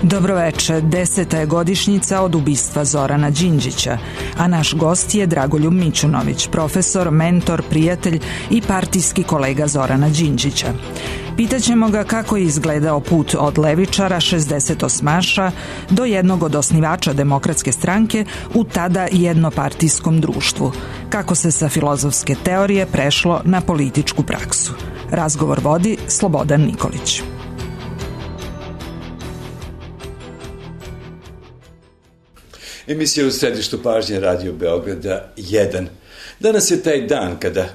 Dobroveče, 10. je godišnjica od ubistva Zorana Đinđića, a naš gost je Dragoljub Mićunović, profesor, mentor, prijatelj i partijski kolega Zorana Đinđića. Pitaćemo ga kako je izgledao put od levičara 68-aša do jednog od osnivača Demokratske stranke u tada jednopartijskom društvu, kako se sa filozofske teorije prešlo na političku praksu. Razgovor vodi Slobodan Nikolić. Emisija u središtu pažnje Radio Beograda 1. Danas je taj dan kada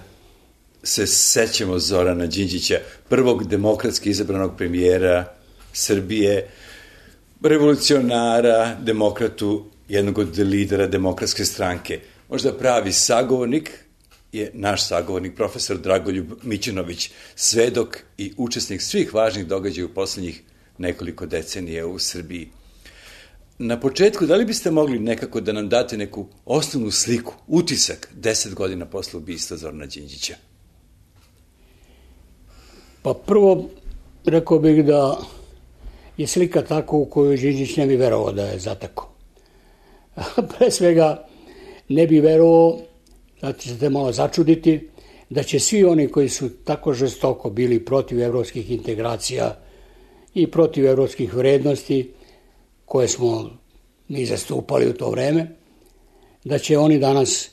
se sećamo Zorana Đinđića, prvog demokratski izabranog premijera Srbije, revolucionara, demokratu, jednog od lidera Demokratske stranke. Možda pravi sagovornik je naš sagovornik, profesor Dragoljub Mićunović, svedok i učesnik svih važnih događaja u poslednjih nekoliko decenija u Srbiji. Na početku, da li biste mogli nekako da nam date neku osnovnu sliku, utisak 10 godina posle ubistva Zorana Đinđića? Pa prvo, rekao bih da je slika tako u kojoj Đinđić ne bi verovao da je zatekao. Pre svega, ne bi verovao, da ćete malo začuditi, da će svi oni koji su tako žestoko bili protiv evropskih integracija i protiv evropskih vrednosti, koje smo mi zastupali u to vreme, da će oni danas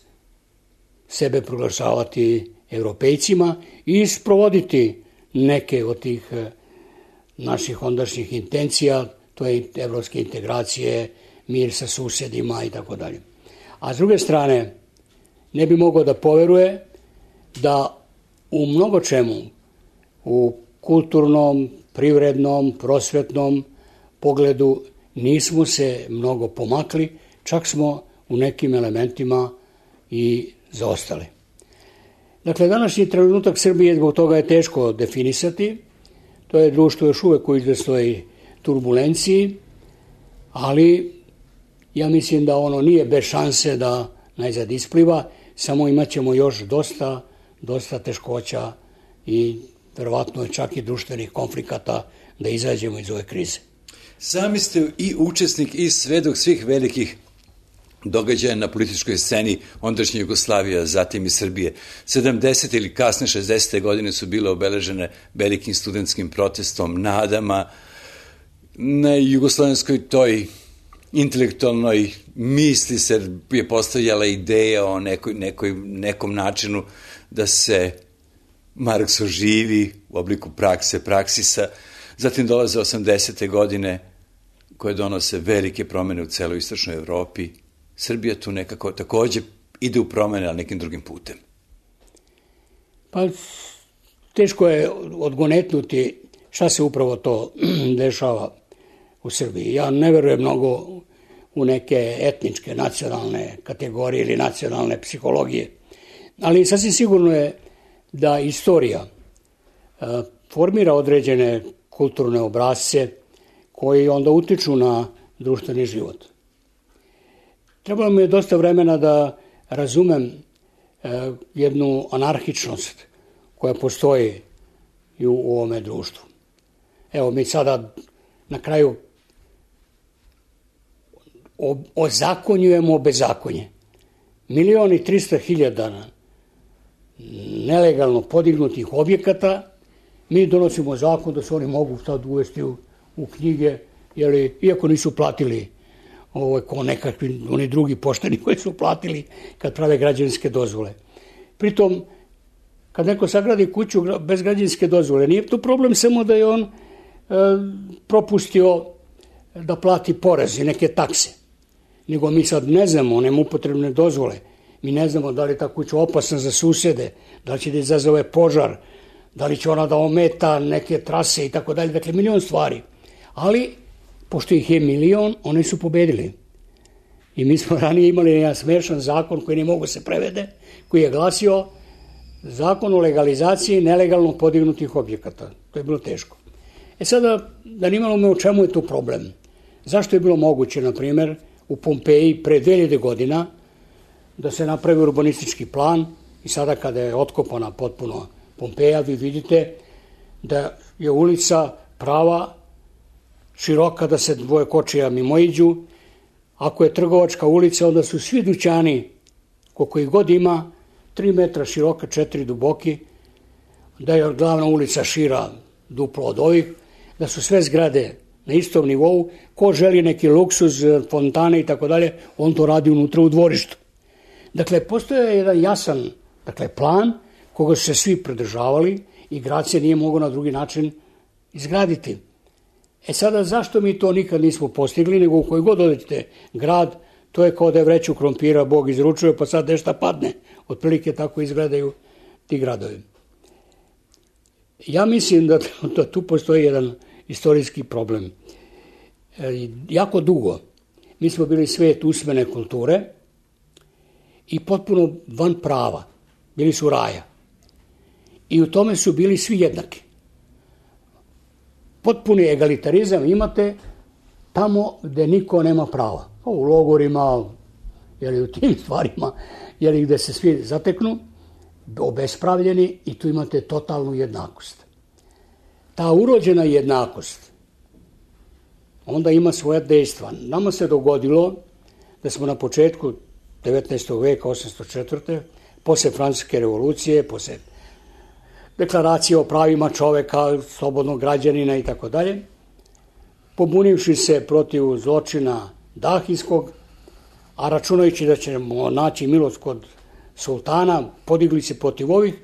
sebe proglašavati evropejcima i sprovoditi neke od tih naših ondašnjih intencija, to je evropske integracije, mir sa susedima i tako dalje. A s druge strane, ne bi mogao da poveruje da u mnogo čemu, u kulturnom, privrednom, prosvetnom pogledu nismo se mnogo pomakli, čak smo u nekim elementima i zaostali. Dakle, današnji trenutak Srbije, zbog toga je teško definisati. To je društvo još uvek u izvesnoj turbulenciji, ali ja mislim da ono nije bez šanse da najzad ispliva, samo imat ćemo još dosta teškoća i verovatno čak i društvenih konflikata da izađemo iz ove krize. Sami ste i učesnik i svedok svih velikih događaja na političkoj sceni ondašnje Jugoslavije, zatim i Srbije. 70. ili kasne 60. godine su bile obeležene velikim studentskim protestom, nadama na jugoslovenskoj toj intelektualnoj misli se je postavljala ideja o nekom načinu da se Marks oživi u obliku praksisa. Zatim dolaze 80. godine koje donose velike promene u celoj istočnoj Evropi. Srbija tu nekako takođe ide u promene, ali nekim drugim putem. Pa teško je odgonetnuti šta se upravo to dešava u Srbiji. Ja ne verujem mnogo u neke etničke, nacionalne kategorije ili nacionalne psihologije, ali sasvim sigurno je da istorija formira određene kulturne obrasce koji onda utiču na društveni život. Trebalo mi je dosta vremena da razumem jednu anarhičnost koja postoji i u ovome društvu. Evo, mi sada na kraju ozakonjujemo bezakonje. 1.300.000 nelegalno podignutih objekata, mi donosimo zakon da se oni mogu sad uvesti u knjige, iako nisu platili ko nekakvi oni drugi pošteni koji su platili kad prave građevinske dozvole. Pritom, kad neko sagradi kuću bez građevinske dozvole, nije to problem samo da je on propustio da plati porez i neke takse, nego mi sad ne znamo, nema upotrebne dozvole, mi ne znamo da li je ta kuća opasna za susede, da li će da izazove požar, da li će ona da ometa neke trase i tako dalje, dakle milion stvari. Ali, pošto ih je milion, oni su pobedili. I mi smo ranije imali jedan smešan zakon koji ne mogu se prevede, koji je glasio zakon o legalizaciji nelegalno podignutih objekata. To je bilo teško. Sada, da nimalo me o čemu je tu problem. Zašto je bilo moguće, na primjer, u Pompeji pre 2000 godina da se napravi urbanistički plan i sada kada je otkopana potpuno Pompeja, vi vidite da je ulica prava široka da se dvoje kočija mimoiđu. Ako je trgovačka ulica, onda su svi dućani, koliko ih god ima, 3 metra široka, 4 duboki, da je glavna ulica šira duplo od ovih, da su sve zgrade na istom nivou. Ko želi neki luksuz, fontane i tako dalje, on to radi unutra u dvorištu. Dakle, postoje jedan jasan plan koga su se svi pridržavali i grad se nije mogao na drugi način izgraditi. Sada, zašto mi to nikad nismo postigli, nego u koji god odete grad, to je kao da je vreću krompira Bog izručuje, pa sad nešto padne. Otprilike tako izgledaju ti gradovi. Ja mislim da tu postoji jedan istorijski problem. Jako dugo mi smo bili svet usmene kulture i potpuno van prava. Bili su raja. I u tome su bili svi jednaki. Potpuni egalitarizam imate tamo gde niko nema prava. U logorima, u tim stvarima, gde se svi zateknu, obespravljeni, i tu imate totalnu jednakost. Ta urođena jednakost onda ima svoja dejstva. Nama se dogodilo da smo na početku 19. veka, 804. posle Francuske revolucije, posle deklaracije o pravima čoveka, slobodnog građanina i tako dalje, pobunivši se protiv zločina Dahijskog, a računajući da ćemo naći milost kod sultana, podigli se protiv ovih,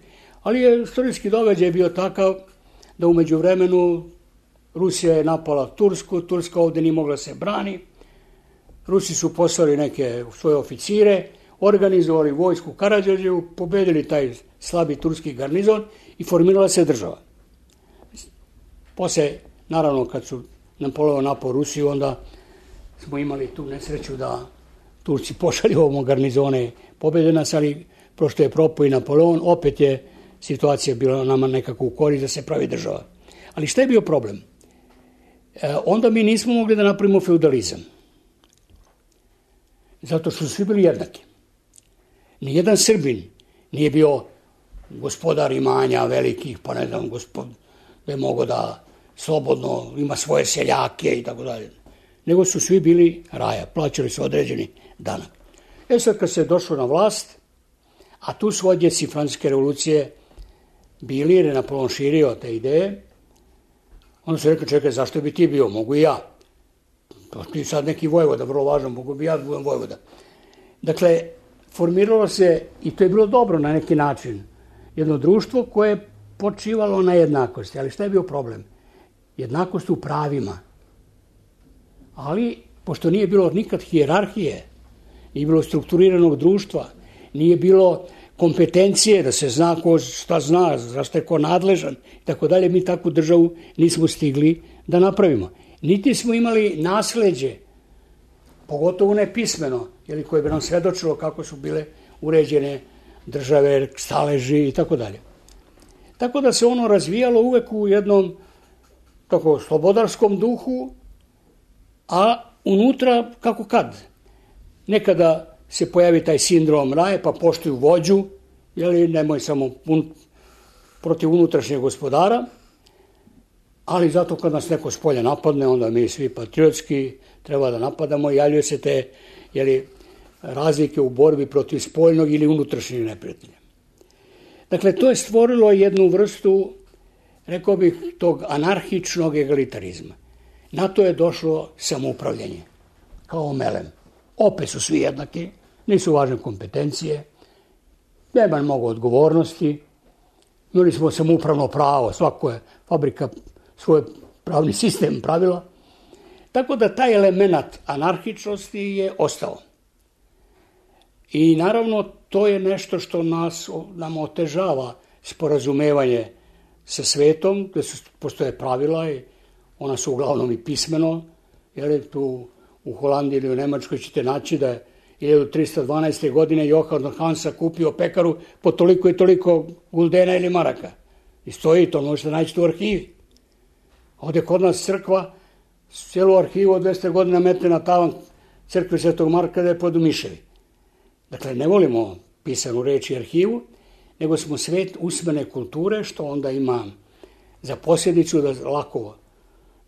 ali je istorijski događaj bio takav da u međuvremenu Rusija je napala Tursku, Turska ovde nije mogla se brani, Rusi su poslali neke svoje oficire, organizovali vojsku Karađorđevu, pobedili taj slabi turski garnizon i formirala se država. Posle, naravno, kad su Napoleon napao Rusiju, onda smo imali tu nesreću da Turci pošalju ovom garnizone, pobede nas, ali prošto je propao i Napoleon, opet je situacija bila nama nekako u korist da se pravi država. Ali šta je bio problem? Onda mi nismo mogli da napravimo feudalizam. Zato što su svi bili jednaki. Nijedan Srbin nije bio gospodar imanja velikih, pa ne znam, da je mogao da slobodno ima svoje seljake i tako dalje. Nego su svi bili raja, plaćali su određeni danak. Sad kad se došlo na vlast, a tu su odjeci Francuske revolucije bili, jer je Napoleon širio te ideje, onda se rekao, čekaj, zašto bi ti bio? Mogu i ja. To ti sad neki vojvoda, vrlo važno, mogu bi ja da budem vojvoda. Dakle, formiralo se, i to je bilo dobro na neki način, jedno društvo koje je počivalo na jednakosti. Ali šta je bio problem? Jednakost u pravima. Ali, pošto nije bilo nikad hijerarhije, nije bilo strukturiranog društva, nije bilo kompetencije da se zna ko šta zna, zašto je ko nadležan i tako dalje, mi takvu državu nismo stigli da napravimo. Niti smo imali nasleđe, pogotovo ne pismeno, koje bi nam svedočilo kako su bile uređene države, staleži i tako dalje. Tako da se ono razvijalo uvek u jednom tako slobodarskom duhu, a unutra kako kad. Nekada se pojavi taj sindrom raje, pa poštuju vođu, nemoj samo protiv unutrašnjeg gospodara, ali zato kad nas neko s polja napadne, onda mi svi patriotski treba da napadamo i javljaju se te razlike u borbi protiv spoljnog ili unutrašnjeg neprijatelja. Dakle, to je stvorilo jednu vrstu, rekao bih, tog anarhičnog egalitarizma. Na to je došlo samoupravljanje, kao melem. Opet su svi jednaki, nisu važne kompetencije, nema mnogo odgovornosti, imali smo samoupravno pravo, svako je fabrika svoj pravni sistem pravila, tako da taj element anarhičnosti je ostao. I naravno to je nešto što nam otežava sporazumevanje sa svetom, gde postoje pravila i ona su uglavnom i pismeno, jer tu u Holandiji ili u Nemačkoj ćete naći da je 1312. godine Johan Hansa kupio pekaru po toliko i toliko guldena ili maraka. I stoji, to možete naći u arhivi. Ovde kod nas crkva, cijelu arhivu od 200 godina metne na tavan crkve Svetog Marka da je pod miševi. Dakle, ne volimo pisanu reč i arhivu, nego smo svet usmene kulture, što onda ima za posljedicu da lako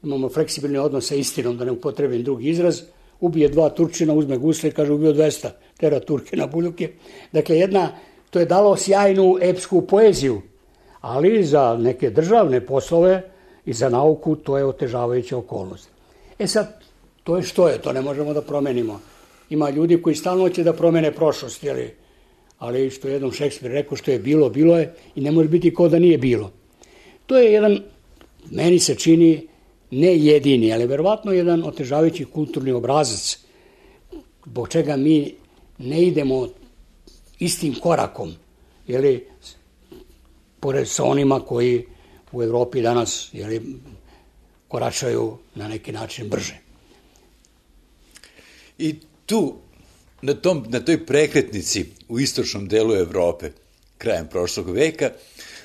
imamo fleksibilni odnos sa istinom, da ne upotrebim drugi izraz, ubije 2 Turčina, uzme gusle i kaže ubio 200, tera Turke na buljuke. Dakle, to je dalo sjajnu epsku poeziju, ali za neke državne poslove i za nauku to je otežavajuća okolnost. Sad, to je što je, to ne možemo da promenimo. Ima ljudi koji stalno će da promene prošlost, ali što je jednom Šekspir rekao, što je bilo, bilo je i ne može biti kao da nije bilo. To je jedan, meni se čini, ne jedini, ali verovatno jedan otežavajući kulturni obrazac, zbog čega mi ne idemo istim korakom, pored sa onima koji u Evropi danas koračaju na neki način brže. I tu, na toj prekretnici u istočnom delu Evrope, krajem prošlog veka,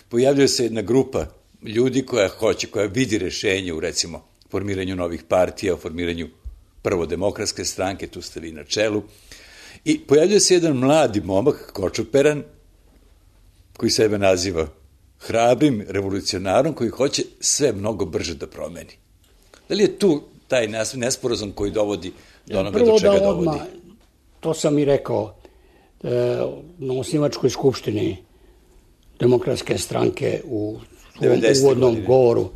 pojavljuje se jedna grupa ljudi koja vidi rešenje u, recimo, formiranju novih partija, u formiranju prvo demokratske stranke, tu ste vi na čelu, i pojavljuje se jedan mladi momak, kočuperan, koji sebe naziva hrabrim revolucionarom, koji hoće sve mnogo brže da promeni. Da li je tu taj nesporazum koji dovodi do onoga do čega dovodi? To sam i rekao na osnivačkoj skupštini Demokratske stranke u uvodnom govoru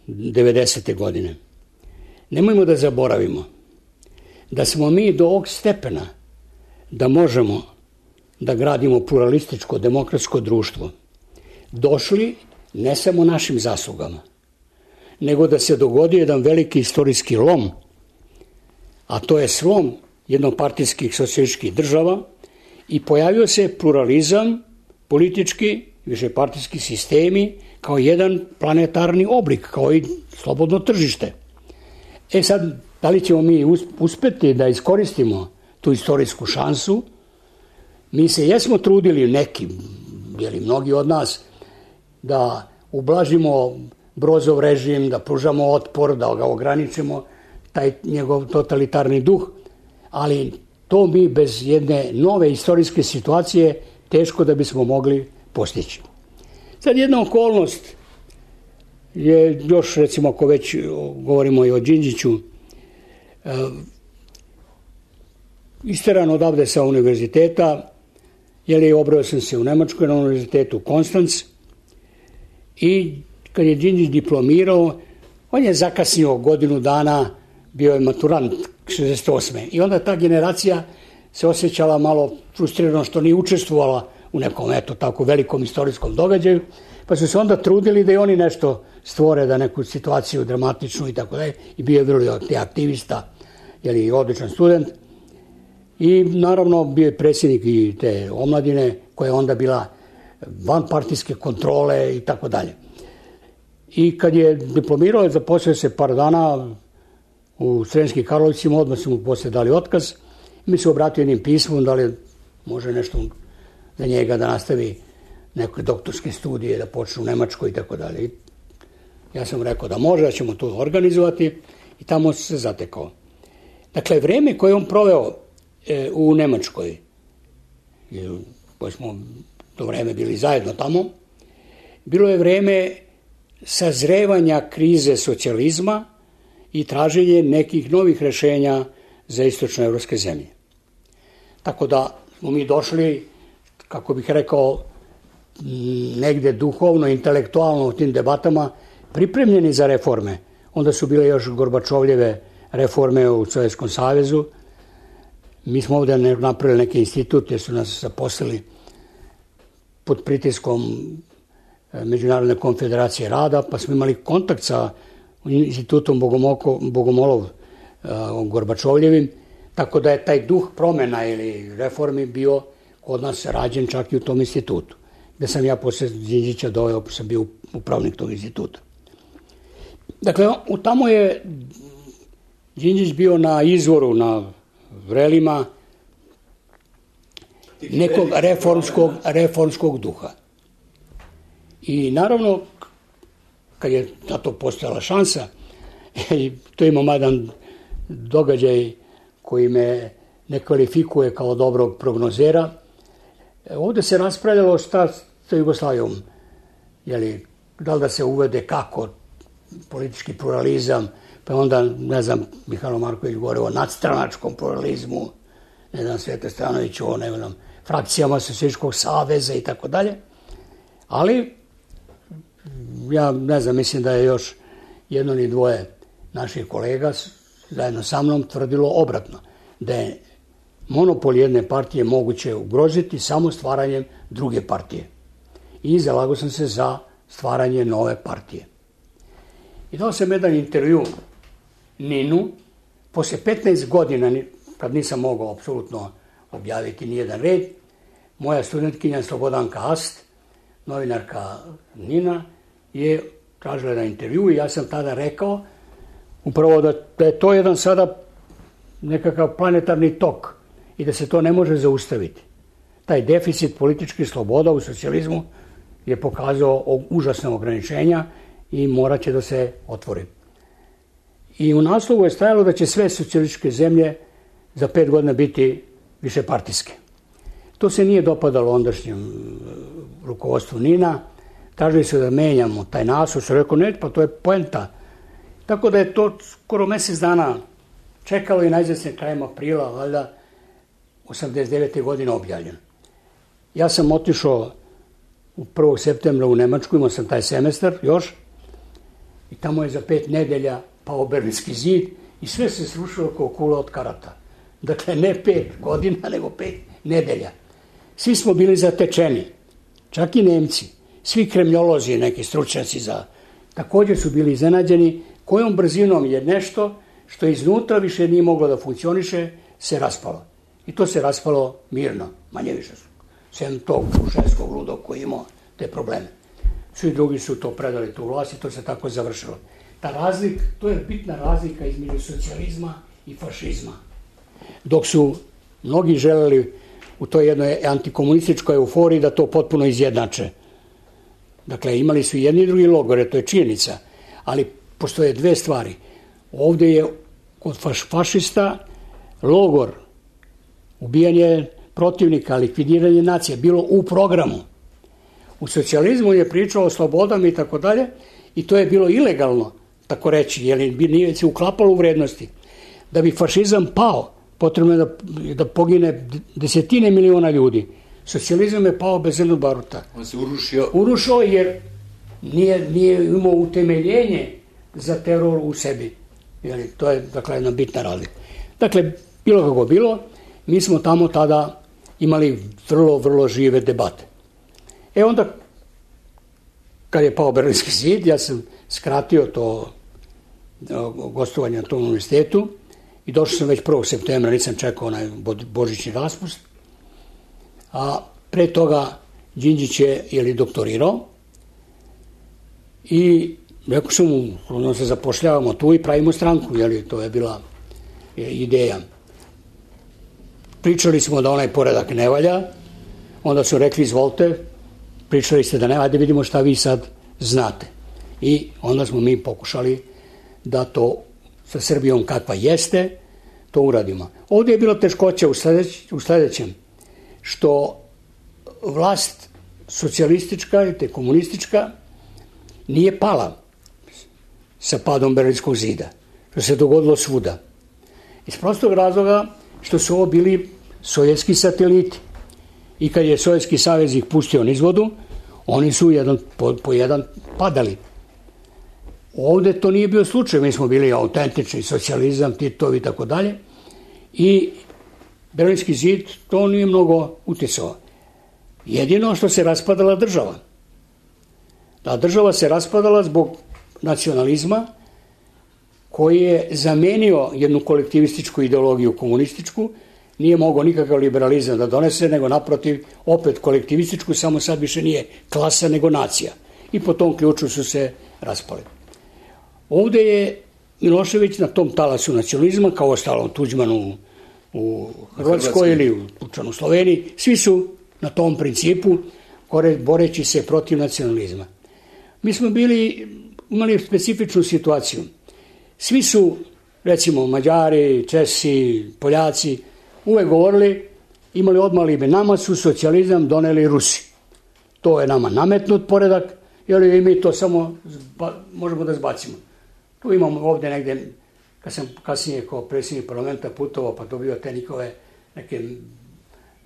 90. godine. Nemojmo da zaboravimo da smo mi do ovog stepena da možemo da gradimo pluralističko demokratsko društvo došli ne samo našim zaslugama, nego da se dogodio jedan veliki istorijski lom, a to je slom jednopartijskih socijalističkih država i pojavio se pluralizam, politički, višepartijski sistemi kao jedan planetarni oblik, kao i slobodno tržište. Sad, da li ćemo mi uspeti da iskoristimo tu istorijsku šansu? Mi se jesmo trudili neki, mnogi od nas, da ublažimo Brozov režim, da pružamo otpor, da ga ograničimo, taj njegov totalitarni duh, ali to mi bez jedne nove istorijske situacije teško da bismo mogli postići. Sad jedna okolnost je još, recimo, ako već govorimo i o Đinđiću, isteran odavde sa univerziteta, obrao sam se u Nemačkoj na univerzitetu Konstanc i kad je Đinđić diplomirao, on je zakasnio godinu dana, bio je maturant 68. I onda ta generacija se osjećala malo frustrirano što nije učestvovala u nekom, tako velikom istorijskom događaju, pa su se onda trudili da i oni nešto stvore, da neku situaciju dramatičnu i tako dalje. I bio je vrlo aktivista, i odličan student. I naravno bio je predsjednik i te omladine koja je onda bila van partijske kontrole i tako dalje. I kad je diplomirao, zaposlio se par dana u Sremskim Karlovcima, odmah su mu posle dali otkaz. Mi se obratio jednim pismom, da li može nešto za njega da nastavi neke doktorske studije, da počne u Nemačkoj i tako dalje. Ja sam rekao da može, da ćemo to organizovati i tamo se zatekao. Dakle, vreme koje on proveo u Nemačkoj, koje smo to vreme bili zajedno tamo, bilo je vreme sazrevanja krize socijalizma i traženje nekih novih rešenja za istočnoevropske zemlje. Tako da smo mi došli, kako bih rekao, negde duhovno, intelektualno u tim debatama pripremljeni za reforme. Onda su bile još Gorbačovljeve reforme u Sovjetskom savezu. Mi smo ovde napravili neki institut jer su nas zaposlili pod pritiskom Međunarodne konfederacije rada, pa smo imali kontakt sa institutom Bogomolov Gorbačovljevim, tako da je taj duh promena ili reformi bio kod nas rađen čak i u tom institutu, gde sam ja posle Đinđića doveo, sam bio upravnik tog instituta. Dakle, tamo je Đinđić bio na izvoru, na vrelima nekog reformskog duha. I naravno, kad je na to postojala šansa, to ima jedan događaj koji me ne kvalifikuje kao dobrog prognozera. Ovde se raspravljalo šta sa Jugoslavijom, da li da se uvede kako politički pluralizam, pa onda, ne znam, Mihajlo Marković govorio o nadstranačkom pluralizmu, ne znam, Sveta Stanović o, ne znam, frakcijama Socijalističkog saveza i tako dalje. Ali, ja ne znam, mislim da je još jedno ili dvoje naših kolega zajedno sa mnom tvrdilo obratno, da je monopol jedne partije moguće ugroziti samo stvaranjem druge partije. I zalagao sam se za stvaranje nove partije. I dao sam jedan intervju Ninu, posle 15 godina, kad nisam mogao apsolutno objaviti nijedan red, moja studentkinja Slobodanka Ast, novinarka Nina, je tražila jedan intervju i ja sam tada rekao upravo da je to jedan sada nekakav planetarni tok i da se to ne može zaustaviti. Taj deficit političkih sloboda u socijalizmu je pokazao užasna ograničenja i morat će da se otvori. I u naslovu je stajalo da će sve socijalističke zemlje za 5 godina biti višepartijske. To se nije dopadalo ondašnjem rukovodstvu Nina. Tražili su da menjamo taj naslov, što rekao, ne, pa to je poenta. Tako da je to skoro mjesec dana čekalo i najzad se krajem aprila, valjda, 89. godine objavljeno. Ja sam otišao 1. septembra u Nemačku, imao sam taj semestar još, i tamo je za 5 nedelja pao Berlinski zid i sve se srušilo kao kula od karata. Dakle, ne 5 godina, nego 5 nedelja. Svi smo bili zatečeni, čak i Nemci, svi kremljolozi, neki stručnjaci također su bili iznenađeni kojom brzinom je nešto što iznutra više nije moglo da funkcioniše, se raspalo. I to se raspalo mirno, manje više. Sem tog Šuševskog ludog koji imao te probleme. Svi drugi su to predali tu vlast i to se tako završilo. To je bitna razlika između socijalizma i fašizma. Dok su mnogi želeli u toj jednoj antikomunističkoj euforiji da to potpuno izjednače. Dakle, imali su jedni i drugi logore, to je činjenica, ali postoje dve stvari. Ovdje je kod fašista logor, ubijanje protivnika, likvidiranje nacije, bilo u programu. U socijalizmu je pričao o slobodama i tako dalje i to je bilo ilegalno, tako reći, jer nije se uklapalo u vrednosti. Da bi fašizam pao, potrebno je da pogine desetine miliona ljudi. Socijalizam je pao bez jednog baruta. On se urušio. Urušio jer nije imao utemeljenje za teror u sebi. To je, dakle, jedna bitna razlika. Dakle, bilo kako bilo, mi smo tamo tada imali vrlo, vrlo žive debate. Onda, kad je pao Berlinski zid, ja sam skratio to gostovanje na tom univerzitetu i došao sam već 1. septembra, nisam čekao onaj božićni raspust, a pre toga Đinđić je doktorirao i rekao sam mu, onda se zapošljavamo tu i pravimo stranku, to je bila ideja. Pričali smo da onaj poredak ne valja, onda su rekli izvolite, pričali ste da ne valja, da vidimo šta vi sad znate. I onda smo mi pokušali da to sa Srbijom kakva jeste, to uradimo. Ovdje je bila teškoća u sledećem, što vlast socijalistička i te komunistička nije pala sa padom Berlinskog zida, što se dogodilo svuda. Iz prostog razloga što su ovo bili sovjetski sateliti i kad je Sovjetski savez ih pustio nizvodu, oni su jedan po jedan padali. Ovdje to nije bio slučaj, mi smo bili autentični socijalizam, Titovi i tako dalje i Berlinski zid to nije mnogo utjecao. Jedino što se raspadala država. Ta država se raspadala zbog nacionalizma koji je zamenio jednu kolektivističku ideologiju komunističku, nije mogao nikakav liberalizam da donese, nego naprotiv opet kolektivističku, samo sad više nije klasa nego nacija. I po tom ključu su se raspali. Ovdje je Milošević na tom talasu nacionalizma, kao ostalo Tuđmanu u Hrvatskoj ili u Sloveniji, svi su na tom principu boreći se protiv nacionalizma. Mi smo imali specifičnu situaciju. Svi su, recimo Mađari, Česi, Poljaci, uvek govorili, imali odmah libe, nama su socijalizam doneli Rusi. To je nama nametnut poredak i mi to samo možemo da zbacimo. Tu imamo ovde negde, kad sam kasnije kao predsjednik parlamenta putovao, pa dobio te njihove neke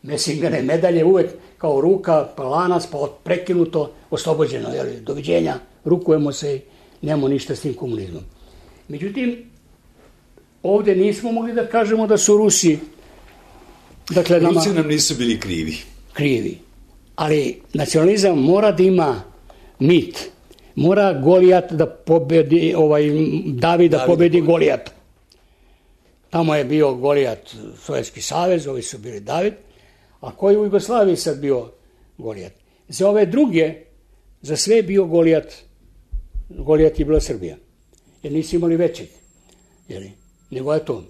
mesingane medalje, uvek kao ruka, pa lanac, pa prekinuto, oslobođeno, doviđenja, rukujemo se i nemamo ništa s tim komunizmom. Međutim, ovde nismo mogli da kažemo da su Rusi, dakle, Rusi nam nisu bili krivi. Ali nacionalizam mora da ima mit. Mora Golijat da pobedi, David da pobedi Golijat. Tamo je bio Golijat Sovjetski savez, ovi su bili David, a koji u Jugoslaviji sad bio Golijat? Za ove druge, za sve je bio Golijat je bila Srbija. Jer nisu imali većeg. Nego je to.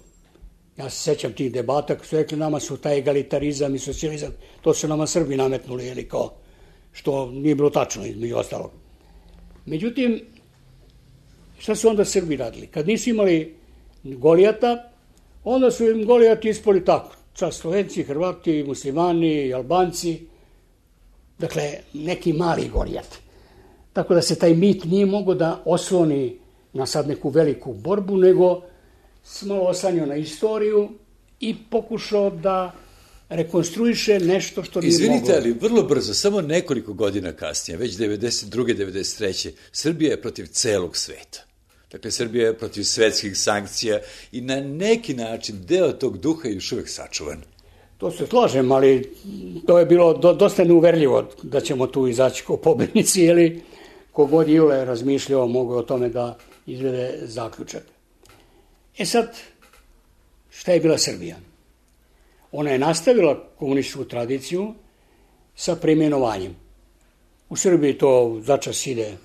Ja se sećam tih debata, koji su rekli nama su taj egalitarizam i socijalizam, to su nama Srbi nametnuli, kao, što nije bilo tačno, između ostalog. Međutim, šta su onda Srbi radili? Kad nisu imali Golijata, onda su im Golijati ispali tako. Čak Slovenci, Hrvati, Muslimani, Albanci, dakle, neki mali Golijat. Tako da se taj mit nije mogao da osloni na sad neku veliku borbu, nego malo osanio na istoriju i pokušao da rekonstruiše nešto što nije moglo. Izvinite, ali vrlo brzo, samo nekoliko godina kasnije, već 92. 93. Srbija je protiv celog sveta. Dakle, Srbija je protiv svetskih sankcija i na neki način deo tog duha je još uvek sačuvan. To se slažem, ali to je bilo dosta neuverljivo da ćemo tu izaći kao pobednici, ili kogod Jule razmišljao mogu o tome da izvede zaključak. Sad, šta je bila Srbija? Ona je nastavila komunističku tradiciju sa preimenovanjem. U Srbiji to začas ide,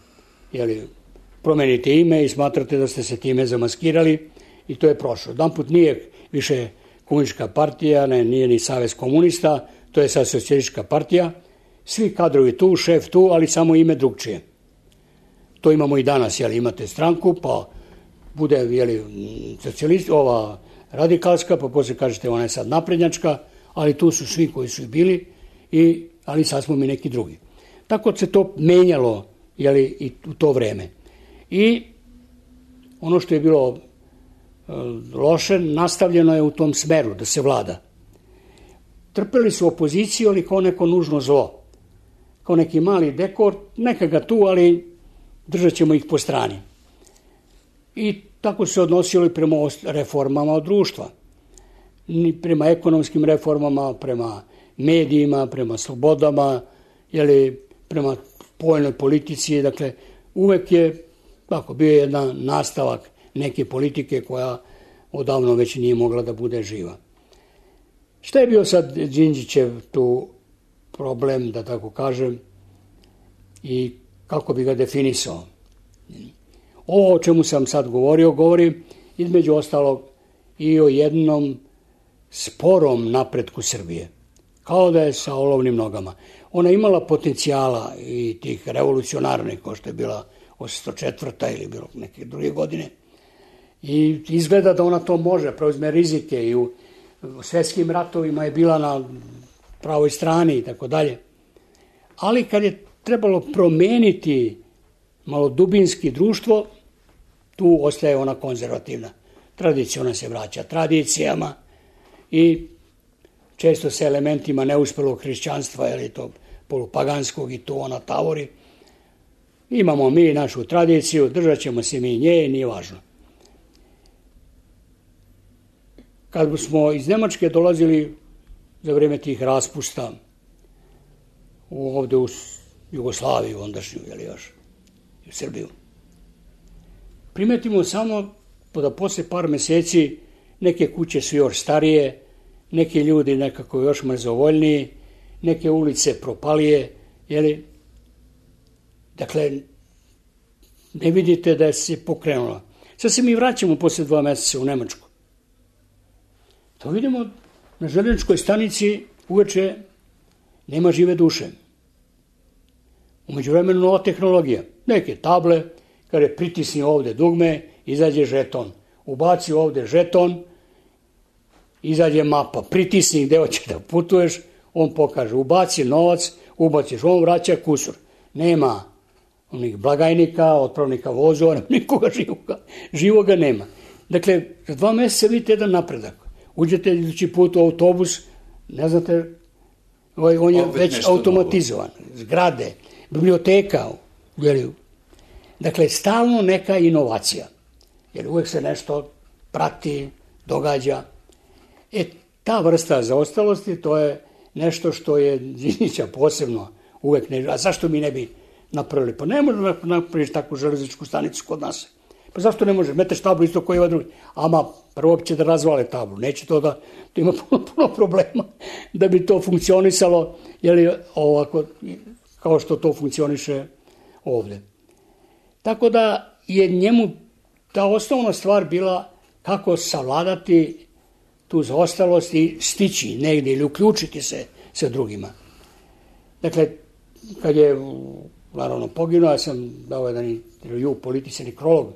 promenite ime i smatrate da ste se time zamaskirali i to je prošlo. Jedanput nije više komunistička partija, nije ni Savez komunista, to je sad socijalistička partija. Svi kadrovi tu, šef tu, ali samo ime drugčije. To imamo i danas, imate stranku, pa bude ova radikalska, pa posle kažete ona je sad naprednjačka, ali tu su svi koji su bili, ali sad smo mi neki drugi. Tako se to menjalo i u to vreme. I ono što je bilo loše, nastavljeno je u tom smeru da se vlada. Trpeli su opoziciju, ali kao neko nužno zlo. Kao neki mali dekor, neka ga tu, ali držat ćemo ih po strani. I tako se odnosili prema reformama od društva. Prema ekonomskim reformama, prema medijima, prema slobodama, prema spoljnoj politici. Dakle, uvek je bio jedan nastavak neke politike koja odavno već nije mogla da bude živa. Šta je bio sad Đinđićev tu problem, da tako kažem, i kako bi ga definisao? Ovo o čemu sam sad govorio, govori između ostalog i o jednom sporom napretku Srbije. Kao da je sa olovnim nogama. Ona imala potencijala i tih revolucionarnih, kao što je bila 804. ili bilo neke druge godine. I izgleda da ona to može, preuzme rizike i u svetskim ratovima je bila na pravoj strani i tako dalje. Ali kad je trebalo promeniti malo dubinski društvo, tu ostaje ona konzervativna. Tradicija, ona se vraća tradicijama i često se elementima neuspelog hrišćanstva, to polupaganskog, i tu ona tavori. Imamo mi našu tradiciju, držat ćemo se mi nje, nije važno. Kad smo iz Nemačke dolazili za vreme tih raspusta ovde u Jugoslaviju, ondašnju, još, u Srbiju, primetimo samo da posle par meseci neke kuće su još starije, neki ljudi nekako još mrzovoljniji, neke ulice propalije, Dakle, ne vidite da se pokrenula. Sad se mi vraćamo posle 2 meseca u Nemačku. To vidimo na železničkoj stanici uveče nema žive duše. U međuvremenu nova tehnologija. Neke table, kada pritisni ovde dugme, izađe žeton. Ubaci ovde žeton, izađe mapa. Pritisni gde hoće da putuješ, on pokaže. Ubaci novac, ubaciš, on vraća kusur. Nema onih blagajnika, otpravnika vozova, nikoga živoga nema. Dakle, za 2 mjeseca vidite jedan napredak. Uđete idući put u autobus, ne znate, on je već automatizovan. Zgrade, biblioteka. Dakle, stalno neka inovacija. Jer uvek se nešto prati, događa. Ta vrsta zaostalosti, to je nešto što je Đinđića posebno uvek ne... A zašto mi ne bi napravili? Pa ne možemo napraviti takvu železničku stanicu kod nas. Pa zašto ne može? Meteš tablu isto koji ovaj drugi. Ama prvo će da razvale tablu. Neće to da... To ima puno problema da bi to funkcionisalo, ovako, kao što to funkcioniše ovde. Tako da je njemu ta osnovna stvar bila kako savladati tu zaostalost i stići negdje ili uključiti se sa drugima. Dakle, kad je naravno poginuo, ja sam dao jedan intervju Politici nekrolog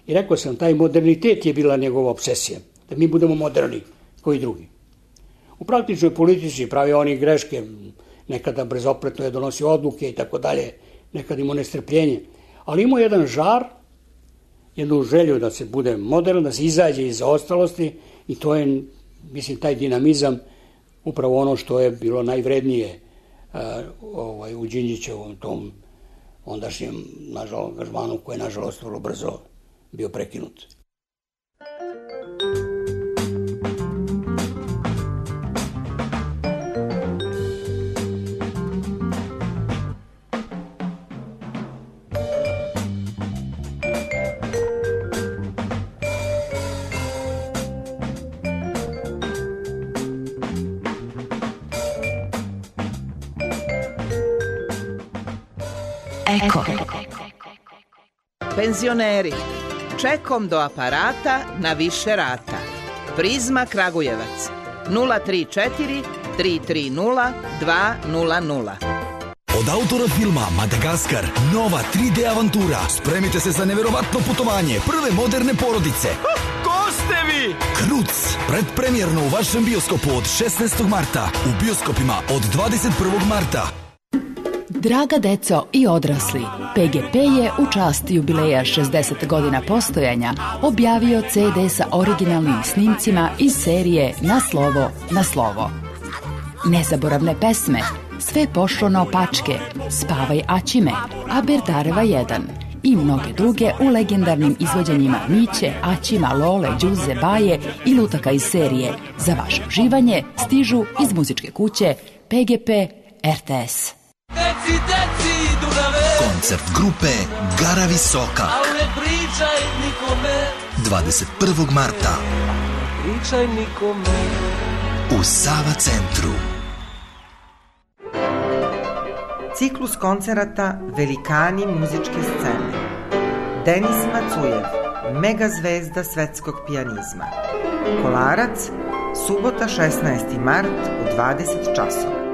i rekao sam, taj modernitet je bila njegova obsesija, da mi budemo moderni koji drugi. U praktičnoj politici pravi oni greške, nekada brezopletno je donosio odluke i tako dalje, nekada imao nestrpljenje, ali imao jedan žar, jednu želju da se bude modern, da se izađe iz zaostalosti i to je, mislim, taj dinamizam upravo ono što je bilo najvrednije u Đinđićevom tom ondašnjem angažmanu koji je nažalost vrlo brzo bio prekinut. Eko. Penzioneri, čekom do aparata na više rata. Prizma Kragujevac 034 330 200. Od autora filma Madagaskar, nova 3D avantura. Spremite se za neverovatno putovanje prve moderne porodice. Ko ste vi? Kruc, predpremjerno u vašem bioskopu od 16. marta. U bioskopima od 21. marta. Draga deco i odrasli, PGP je u čast jubileja 60 godina postojanja objavio CD sa originalnim snimcima iz serije Na slovo, na slovo. Nezaboravne pesme, Sve pošlo naopačke, Spavaj Aćime, Aberdareva 1 i mnoge druge u legendarnim izvođenjima Miće, Aćima, Lole, Đuze, Baje i lutaka iz serije. Za vaše uživanje stižu iz muzičke kuće PGP RTS. Koncert grupe Gara Visoka 21. marta u Sava centru. Ciklus koncerata Velikani muzičke scene. Denis Macujev, mega zvezda svetskog pijanizma. Kolarac, subota 16. mart u 20 časova.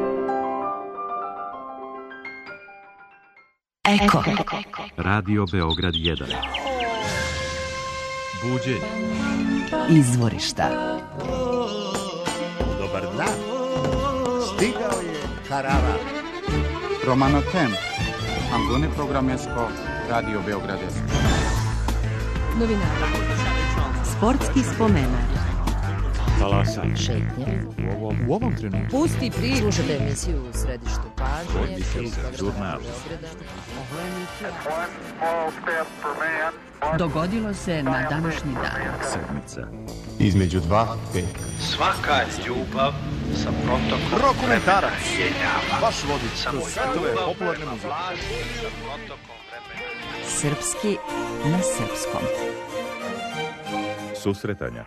Eko. Radio Beograd 1. Buđenje. Izvorišta. Dobar dan. Stigao je Karavan. Romano Tem. Angone Programesko. Radio Beograd 1. Novinara. Sportski spomenar. Talasaj. Šetnje. U ovom trenutku. Pusti priču. Slušajte emisiju u središtu pažnje. Žurnal. Dogodilo se na današnji dan. Sedmica. Između 2 peka. Svaka ljubav sa protokom Rokomentarac. Vaš vodič kroz svetove popularne muzike. Srpski na srpskom. Susretanja.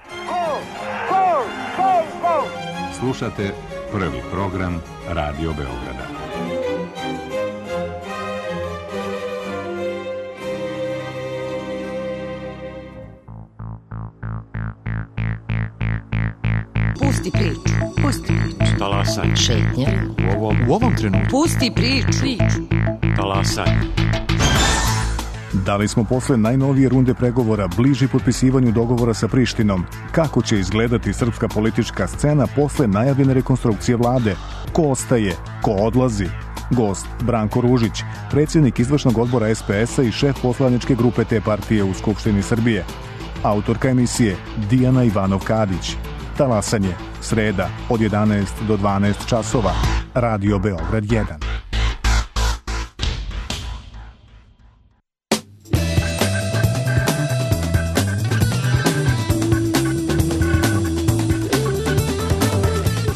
Slušate prvi program Radio Beograda. Pusti priču. Pusti priču. Talasaj. Šetnje. U ovom trenutku. Pusti priču. Talasaj. Da li smo posle najnovije runde pregovora bliži potpisivanju dogovora sa Prištinom? Kako će izgledati srpska politička scena posle najavljene rekonstrukcije vlade? Ko ostaje? Ko odlazi? Gost Branko Ružić, predsjednik izvršnog odbora SPS-a i šef poslaničke grupe te partije u Skupštini Srbije. Autorka emisije Dijana Ivanov-Kadić. Talasanje, sreda od 11 do 12 časova. Radio Beograd 1.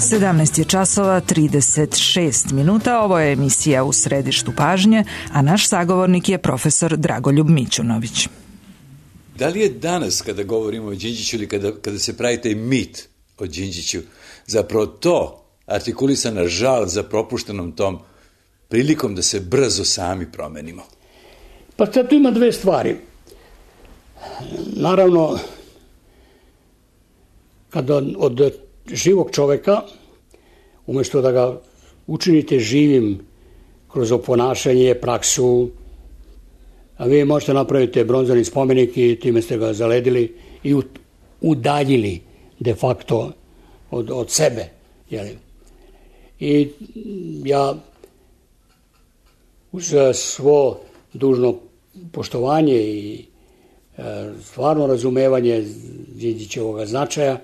Sedamnaest je časova 36 minuta. Ovo je emisija U središtu pažnje, a naš sagovornik je profesor Dragoljub Mićunović. Da li je danas, kada govorimo o Đinđiću ili kada se pravi taj mit o Đinđiću, zapravo to artikulisana žal za propuštenom tom prilikom da se brzo sami promenimo? Pa sad tu ima dve stvari. Naravno, kada od živog čoveka, umjesto da ga učinite živim kroz oponašanje, praksu, a vi možete napraviti bronzani spomenik i time ste ga zaledili i udaljili de facto od sebe. Jeli? I ja uz svo dužno poštovanje i stvarno razumevanje Đinđićevog značaja,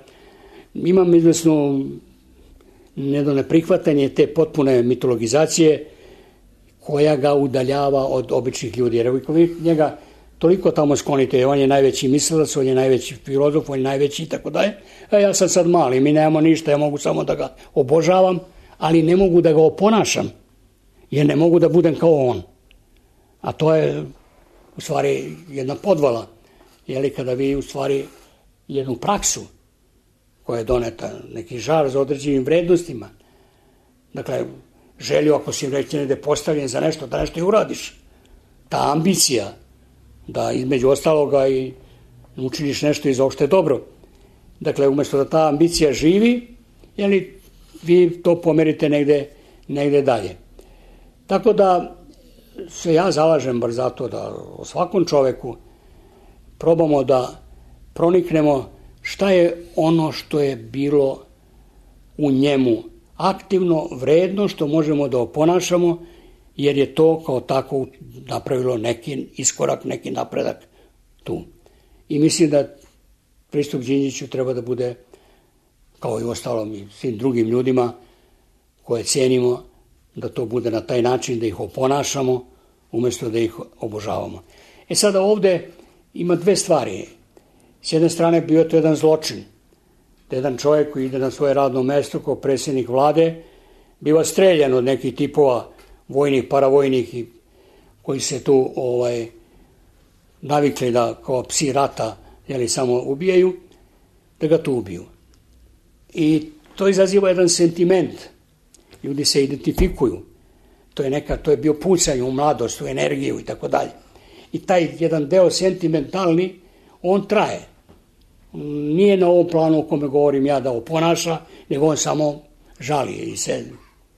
imam izvesno neprihvatanje te potpune mitologizacije koja ga udaljava od običnih ljudi. Jer vi njega toliko tamo sklonite, on je najveći mislilac, on je najveći filozof, on je najveći i tako dalje. A ja sam sad mali, mi nemamo ništa, ja mogu samo da ga obožavam, ali ne mogu da ga oponašam, jer ne mogu da budem kao on. A to je u stvari jedna podvala, jeli, kada vi u stvari jednu praksu koja je doneta, neki žar za određenim vrednostima, dakle, želju, ako si reći negde postavljen za nešto, da nešto i uradiš. Ta ambicija, da između ostaloga i učiniš nešto i za opšte dobro. Dakle, umjesto da ta ambicija živi, jeli, vi to pomerite negde dalje. Tako da se ja zalažem bar zato da o svakom čoveku probamo da proniknemo šta je ono što je bilo u njemu aktivno, vredno, što možemo da oponašamo, jer je to kao tako napravilo neki iskorak, neki napredak tu. I mislim da pristup Đinđiću treba da bude, kao i ostalom i svim drugim ljudima koje cenimo, da to bude na taj način, da ih oponašamo, umjesto da ih obožavamo. Sada ovde ima dve stvari. S jedne strane bio to jedan zločin. Da jedan čovjek koji ide na svoje radno mesto kao predsjednik vlade biva streljan od nekih tipova vojnih, paravojnih koji se tu navikli da kao psi rata samo ubijaju, da ga tu ubiju. I to izaziva jedan sentiment. Ljudi se identifikuju. To je bio pucanje u mladost, u energiju i tako dalje. I taj jedan deo sentimentalni, on traje. Nije na ovom planu o kome govorim ja da oponaša, nego on samo žali i se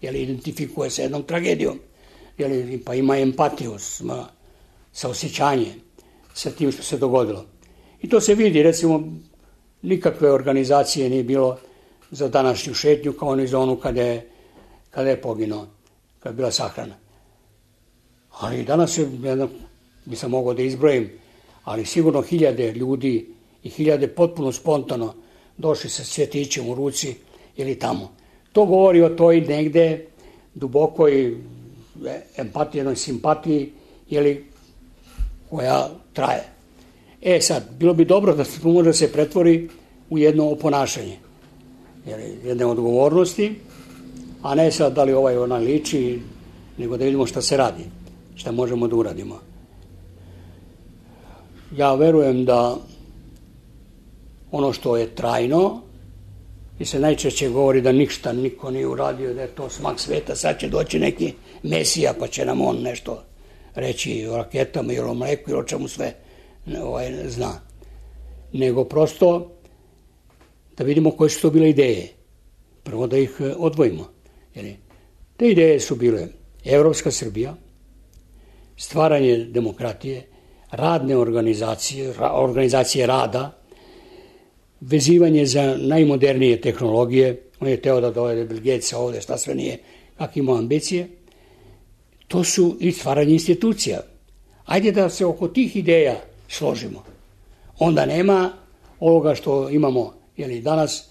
identifikuje sa jednom tragedijom. Pa ima empatiju, sa osjećanjem sa tim što se dogodilo. I to se vidi, recimo, nikakve organizacije nije bilo za današnju šetnju kao ni za onu kada je poginuo, kada je bila sahrana. Ali danas bi sam mogao da izbrojim, ali sigurno hiljade ljudi i hiljade potpuno spontano došli sa cvjetićem u ruci ili tamo. To govori o toj negde dubokoj empatiji, jednoj simpatiji, koja traje. Sad, bilo bi dobro da to može se pretvori u jedno oponašanje, jedne odgovornosti, a ne sad da li ona liči, nego da vidimo šta se radi, šta možemo da uradimo. Ja verujem da ono što je trajno, i se najčešće govori da ništa niko nije uradio, da je to smak sveta, sad će doći neki mesija pa će nam on nešto reći o raketama ili o mleku ili o čemu sve zna. Nego prosto da vidimo koje su to bile ideje. Prvo da ih odvojimo. Te ideje su bile Evropska Srbija, stvaranje demokratije, radne organizacije rada, vezivanje za najmodernije tehnologije. On je teo da dovede Bill Gatesa ovde, šta sve nije, kak ima ambicije. to su i stvaranje institucija. Ajde da se oko tih ideja složimo. Onda nema ovoga što imamo danas,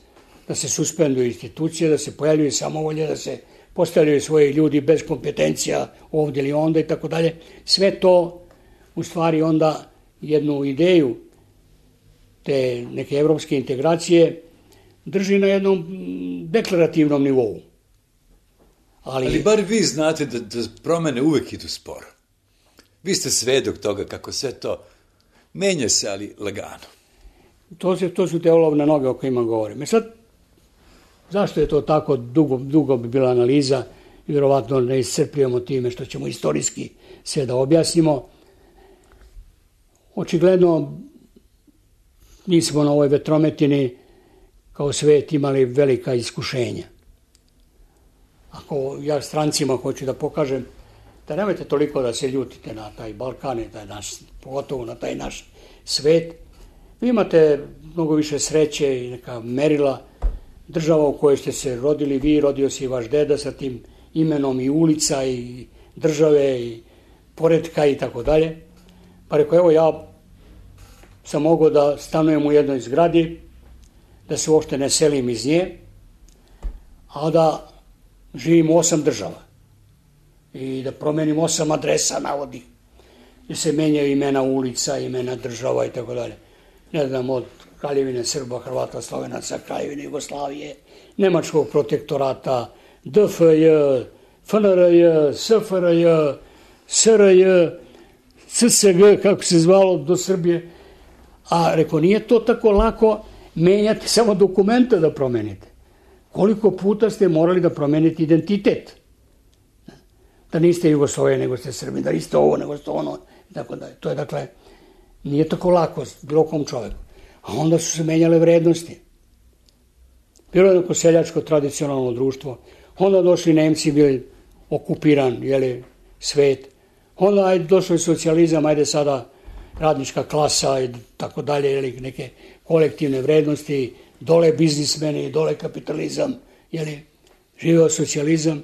da se suspenduju institucije, da se pojavljuju samovolje, da se postavljaju svoji ljudi bez kompetencija ovdje ili onda i tako dalje. Sve to u stvari onda jednu ideju te neke evropske integracije drži na jednom deklarativnom nivou. Ali bar vi znate da promene uvek idu sporo. Vi ste svedok toga kako sve to menja se, ali lagano. To su te olovne noge o kojima govorim. Sad, zašto je to tako, dugo bi bila analiza i vjerovatno ne iscrpljujemo time što ćemo istorijski sve da objasnimo. Očigledno mi smo na ovoj vetrometini kao svet imali velika iskušenja. Ako ja strancima hoću da pokažem da nemojte toliko da se ljutite na taj Balkan i taj naš, pogotovo na taj naš svet, vi imate mnogo više sreće i neka merila. Država u kojoj ste se rodili vi, rodio se i vaš deda sa tim imenom i ulica i države i poretka i tako dalje. Pa rekao, evo ja sam mogao da stanujem u jednoj zgradi, da se uopšte ne selim iz nje, a da živim u 8 država i da promenim 8 adresa navodnih, gdje se menjaju imena ulica, imena država i tako dalje. Ne znam, od Kraljevine Srba, Hrvata, Slovenaca, Kraljevine Jugoslavije, Nemačkog protektorata, DFJ, FNRJ, SFRJ, SRJ, CSG, kako se zvalo, do Srbije. A rekao, nije to tako lako menjati samo dokumenta da promenite. Koliko puta ste morali da promenite identitet? Da niste Jugoslavije, nego ste Srbi, da niste ovo, nego ste ono, i tako dalje. To je, dakle, nije tako lako bilo kom čoveku. A onda su se menjale vrednosti. Bilo je neko seljačko tradicionalno društvo. Onda došli Nemci, bili okupiran, svet. Onda ajde došao je socijalizam, ajde sada radnička klasa i tako dalje, neke kolektivne vrednosti, dole biznismeni, dole kapitalizam, živeo socijalizam.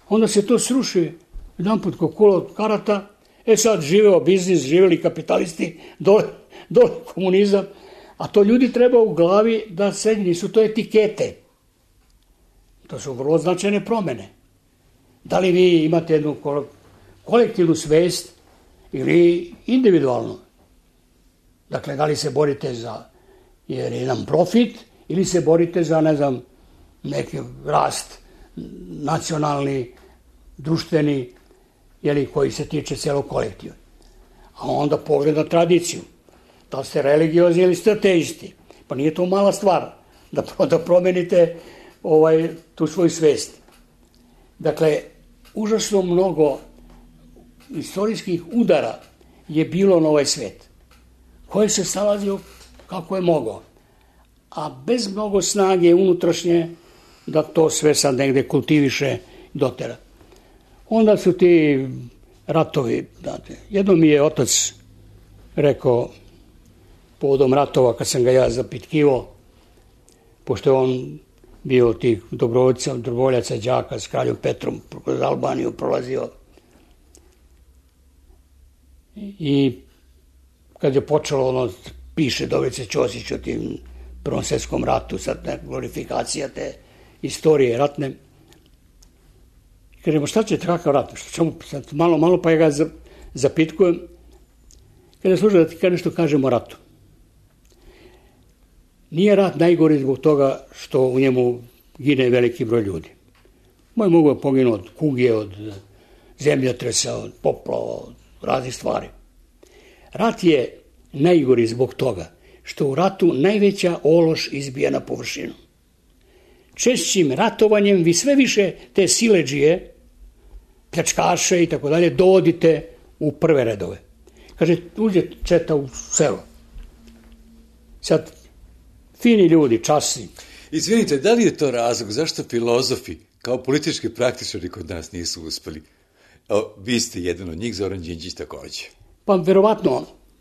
Onda se to sruši jedanput ko kola od karata, sad živeo biznis, živeli kapitalisti, dole komunizam, a to ljudi treba u glavi da se nisu to etikete. To su vrlo značajne promene. Da li vi imate jednu kolektivnu svest ili individualno? Dakle, da li se borite za jedan profit ili se borite za, neki rast nacionalni, društveni, koji se tiče celog kolektiva. A onda pogled na tradiciju. Da li ste religiozni ili ste ateisti? Pa nije to mala stvar da promenite tu svoju svest. Dakle, užasno mnogo istorijskih udara je bilo na ovaj svet, koji se snalazio kako je mogao, a bez mnogo snage unutrašnje da to sve sad negde kultiviše dotera. Onda su ti ratovi, jedno mi je otac rekao povodom ratova, kad sam ga ja zapitkivo, pošto je on bio tih dobrovoljaca đaka s kraljom Petrom kroz Albaniju prolazio. I kad je počelo piše Dobrice Ćosić o tim Prvom svjetskom ratu, sad glorifikacija te istorije ratne. Kažemo, šta će kakav rat? Sad malo pa ja ga zapitkujem. Kada služa da ti nešto kažem o ratu. Nije rat najgori zbog toga što u njemu gine veliki broj ljudi. Mogu je poginuti od kuge, od zemljotresa, od poplava, od raznih stvari. Rat je najgori zbog toga što u ratu najveća ološ izbija na površinu. Češćim ratovanjem vi sve više te siledžije, pljačkaše i tako dalje, dovodite u prve redove. Kaže, uđe četa u selo. Sad, fini ljudi, časni. Izvinite, da li je to razlog zašto filozofi kao politički praktičari kod nas nisu uspeli? Vi ste jedan od njih, Zoran Đinđić takođe. Pa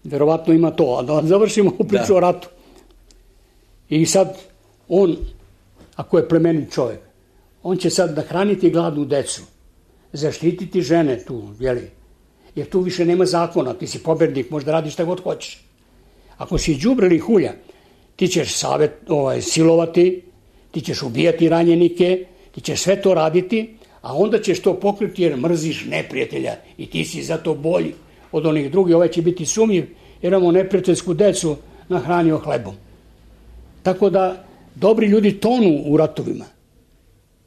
verovatno ima to, a da završimo priču o ratu. I sad on, ako je plemenit čovjek, on će sad nahraniti gladnu decu, zaštititi žene tu, jeli? Jer tu više nema zakona, ti si pobednik, možda radiš šta god hoćeš. Ako si đubre ili hulja, ti ćeš silovati, ti ćeš ubijati ranjenike, ti ćeš sve to raditi, a onda ćeš to pokriti jer mrziš neprijatelja i ti si zato bolji od onih drugih. Ovaj će biti sumnjiv jer imamo neprijateljsku decu nahranio hlebom. Tako da dobri ljudi tonu u ratovima,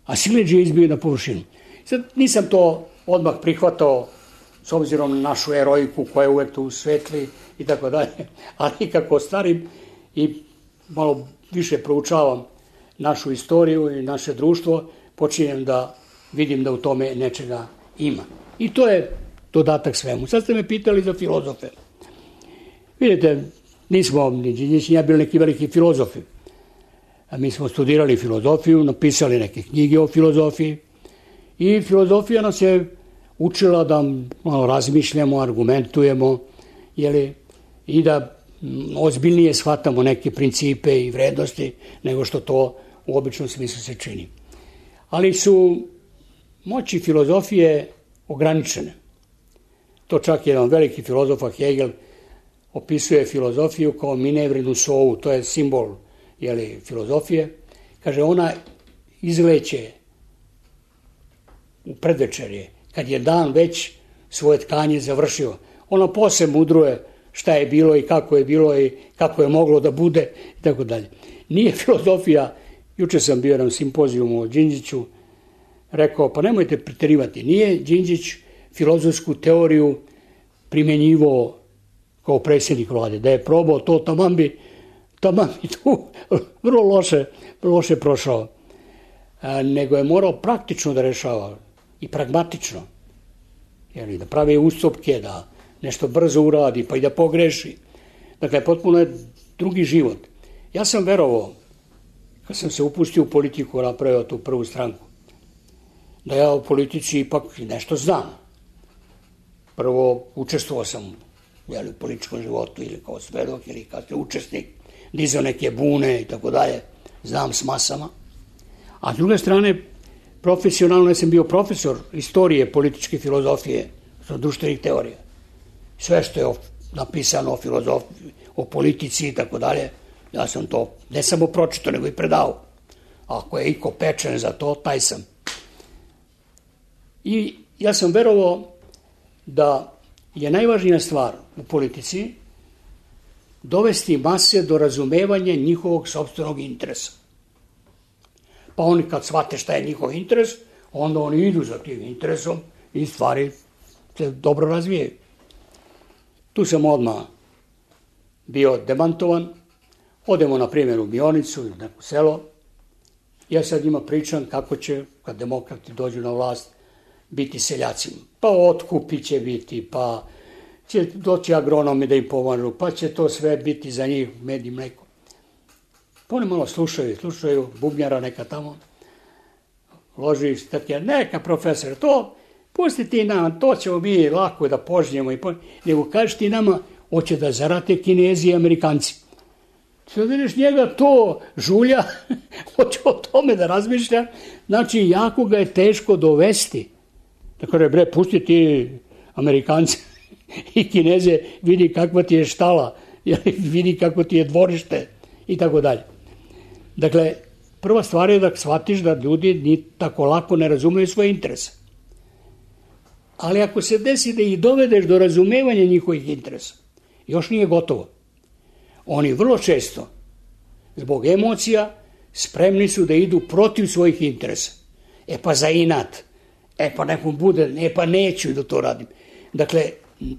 a siledžije izbiju na površinu. Sad nisam to odmah prihvatao s obzirom na našu eroiku koja je uvek tu svetli i tako dalje, ali kako starim i malo više proučavam našu istoriju i naše društvo, počinjem da vidim da u tome nečega ima. I to je dodatak svemu. Sad ste me pitali za filozofe. Vidite, nismo ni Đinđić ni ja bili neki veliki filozofi. A mi smo studirali filozofiju, napisali neke knjige o filozofiji i filozofija nas je učila da malo razmišljamo, argumentujemo, i da ozbiljnije shvatamo neke principe i vrednosti nego što to u običnom smislu se čini. Ali su moći filozofije ograničene. To čak jedan veliki filozof Hegel opisuje filozofiju kao minevrinu sovu, to je simbol filozofije. Kaže, ona izleće u predvečerje, kad je dan već svoje tkanje završio. Ona posle mudruje šta je bilo i kako je moglo da bude i tako dalje. Nije filozofija, juče sam bio na simpozijumu o Đinđiću, rekao, pa nemojte preterivati, nije Đinđić filozofsku teoriju primjenjivao kao predsjednik vlade, da je probao to, taman bi tu vrlo loše prošao, nego je morao praktično da rešava i pragmatično, da pravi ustupke, da nešto brzo uradi, pa i da pogreši. Dakle, potpuno je drugi život. Ja sam verovao, kad sam se upustio u politiku, napravio tu prvu stranku, da ja u politici ipak nešto znam. Prvo, učestvovao sam u političkom životu ili kao svedok ili kao učesnik, dizao neke bune i tako dalje, znam s masama. A s druge strane, profesionalno sam bio profesor istorije političke filozofije, društvenih teorija. Sve što je napisano o filozofiji, o politici i tako dalje, ja sam to ne samo pročitao, nego i predao. Ako je iko pečen za to, taj sam. I ja sam verovao da je najvažnija stvar u politici dovesti mase do razumevanja njihovog sopstvenog interesa. Pa oni kad shvate šta je njihov interes, onda oni idu za tim interesom i stvari se dobro razvijaju. Tu sam odmah bio demantovan. Odemo na primjer u Mionicu ili neko selo. Ja sad njima pričam kako će, kad demokrati dođu na vlast, biti seljacima. Pa otkupi će biti, pa će doći agronomi da im pomažu, pa će to sve biti za njih med i mleko. Pa oni malo slušaju bubnjara neka tamo, loži statija, neka profesor, to pusti ti nam, to ćemo mi lako da požnjemo, nego kažeš ti nama, hoće da zarate Kinezi i Amerikanci. Sad vidiš njega to žulja, hoće o tome da razmišlja, znači jako ga je teško dovesti. Tako da pusti ti Amerikanci i Kineze, vidi kakva ti je štala, vidi kako ti je dvorište i tako dalje. Dakle, prva stvar je da shvatiš da ljudi ni tako lako ne razumeju svoje interese. Ali ako se desi da ih dovedeš do razumevanja njihovih interesa, još nije gotovo. Oni vrlo često, zbog emocija, spremni su da idu protiv svojih interesa. E pa za inat, pa nekom bude, pa neću da to radim. Dakle,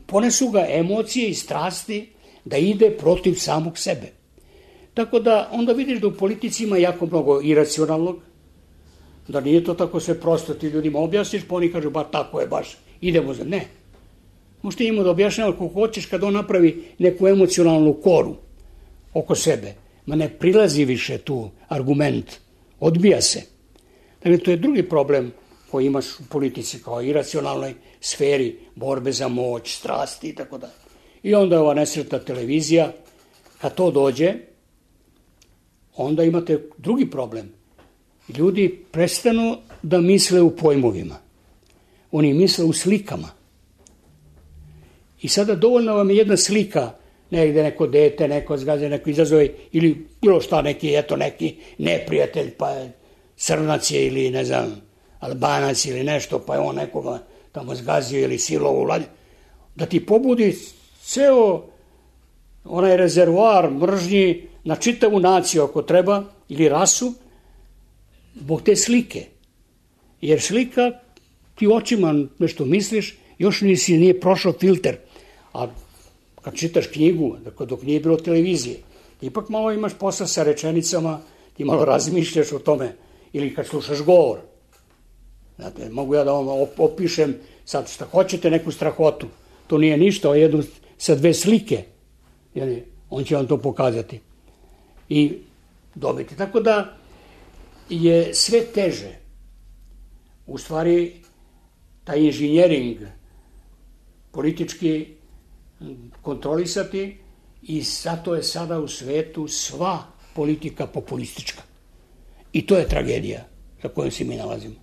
ponesu ga emocije i strasti da ide protiv samog sebe. Tako da onda vidiš da u politici ima jako mnogo iracionalnog, da nije to tako sve prosto, ti ljudima objasniš, pa oni kažu, ba tako je baš, idemo za ne. Možete njima da objašnjava kako hoćeš kad on napravi neku emocionalnu koru oko sebe. Ma ne prilazi više tu argument, odbija se. Dakle, to je drugi problem koji imaš u politici kao iracionalnoj sferi, borbe za moć, strasti i tako dalje. I onda je ova nesretna televizija, kad to dođe, onda imate drugi problem. Ljudi prestanu da misle u pojmovima. Oni misle u slikama. I sada dovoljno vam je jedna slika, negde neko dete, neko zgaze, neko izazove, ili bilo šta, neki neprijatelj, pa je Crnac je ili, ne znam, Albanac ili nešto, pa je on nekoga tamo zgazio ili silovo vlade, da ti pobudi ceo onaj rezervoar mržnji na čitavu naciju ako treba, ili rasu, zbog te slike. Jer slika, ti očima nešto misliš, još nije prošao filter. A kad čitaš knjigu, dok nije bilo televizije, ipak malo imaš posla sa rečenicama, ti malo razmišljaš o tome, ili kad slušaš govor. Znate, mogu ja da vam opišem sad šta hoćete, neku strahotu. To nije ništa, jednu sa 2 slike. On će vam to pokazati. I dobiti. Tako da je sve teže. U stvari, taj inženjering politički kontrolisati i zato je sada u svetu sva politika populistička. I to je tragedija za kojom se mi nalazimo.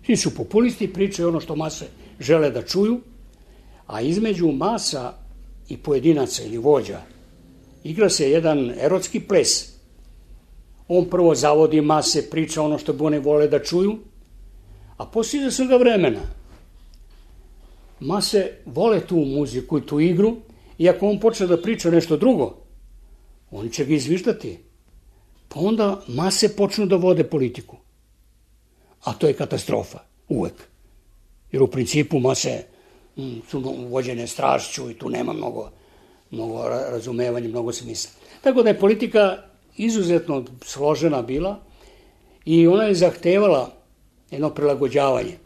Svi su populisti, pričaju ono što mase žele da čuju, a između masa i pojedinaca ili vođa igra se jedan erotski ples. On prvo zavodi mase, priča ono što bi one vole da čuju, a poslije svega vremena mase vole tu muziku i tu igru, i ako on počne da priča nešto drugo, oni će ga izviždati. Pa onda mase počnu da vode politiku. A to je katastrofa, uvek. Jer u principu mase su vođene strašću i tu nema mnogo razumevanja, mnogo smisla. Tako da je politika izuzetno složena bila i ona je zahtevala jedno prilagođavanje.